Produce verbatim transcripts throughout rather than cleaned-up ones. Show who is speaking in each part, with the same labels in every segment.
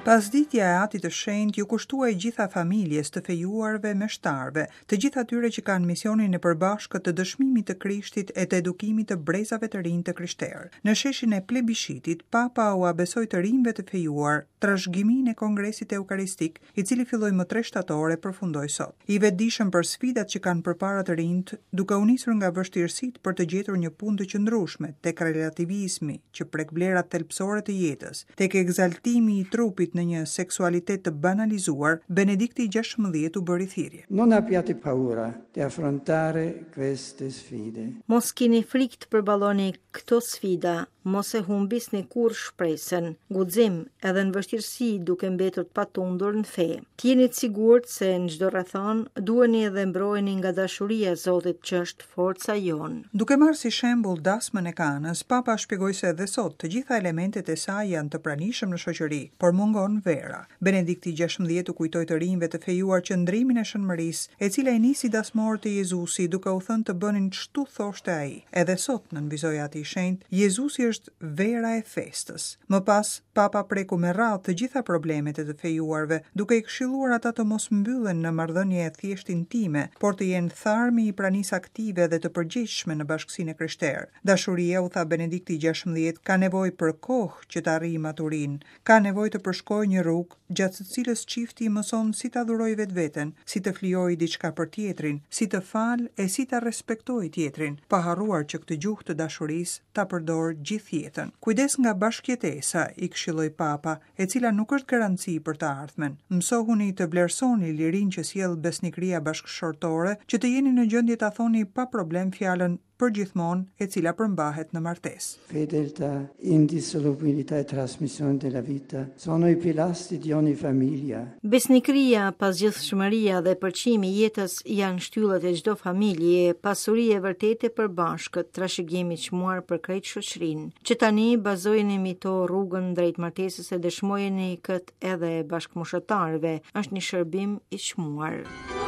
Speaker 1: Pasditja e Atit të Shenjtë iu kushtua e gjitha familjes, të fejuarve, meshtarëve, të gjithë atyre që kanë misionin e përbashkët të dëshmimit të Krishtit e të edukimit të brezave të rinj të krishterë. Në sheshin e plebishitit, Papa ua besoi të rinjve të fejuar trashëgiminë e Kongresit Eukaristik, i cili filloi më tre shtator e përfundoi sot. I vetëdijshëm për sfidat që kanë përpara të rinjtë, duke u nisur nga vështirësitë për të gjetur një punë të qëndrueshme, tek relativizmi që prek vlerat thelbësore të jetës, tek ekzaltimi i trupit në një seksualitet të banalizuar, Benedikti gjashtëmbëdhjetë u bëri thirrje.
Speaker 2: Non abbiate paura di affrontare queste sfide.
Speaker 3: Mos kini frikë të përballoni këto sfida, mos e humbisni kurrë shpresën, guxim edhe në vështirësi duke mbetur të patundur në fe. Të jeni të sigurt se në çdo rrethanë duheni edhe mbrojeni nga dashuria e Zotit që është forca jonë.
Speaker 1: Duke marrë si shembull dasmën e Kanës, Papa shpjegoi se edhe sot të gjitha elementet e saj janë të pranishëm në shoqëri, por mungon vera. Benedikti gjashtëmbëdhjetë u kujtoi të rinjve të fejuar qëndrimin e shënmërisë, e cila i nisi dasmorët e Jezusi duke u thënë të bënin ç'tu thoshte ai. Edhe sot, nënvizoi Ati i Shenjtë, Jezusi është vera e festës. Më pas, Papa preku me radhë të gjitha problemet e të fejuarve, duke i këshilluar ata të mos mbyllen në marrëdhënie thjesht intime, por të jenë tharmi i pranisë aktive dhe të përgjegjshme në bashkësinë e krishterë. Dashuria, u tha Benedikti gjashtëmbëdhjetë, ka nevojë për kohë që të arrijë maturinë, ka nevojë të përshkojë një rrugë gjatë së cilës çifti mëson si ta dhurojë vetveten, si të flijojë diçka për tjetrin, si të falë e si ta respektojë tjetrin, pa harruar që këtë gjuhë të dashurisë ta përdor gjithë jetën. Kujdes nga bashkëjetesa, i këshilloi Papa, e cila nuk është garanci për të ardhmen. Mësohuni të vlerësoni lirinë që sjell besnikëria bashkëshortore, që të jeni në gjendje ta thoni pa problem fjalën përgjithmonë, e cila përmbahet në martesë.
Speaker 2: Fedeltà, indissolubilità e trasmissione della vita sono i pilastri di ogni famiglia.
Speaker 3: Besnikëria, pazgjidhshmëria dhe përçimi i jetës janë shtyllat e çdo familje, pasuri e vërtetë e përbashkët, trashëgimi i çmuar për krejt shoqërinë. Që tani bazojeni mbi to rrugën drejt martesës e dëshmojeni këtë edhe bashkëmoshatarëve, është një shërbim i çmuar.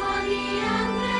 Speaker 4: Maria.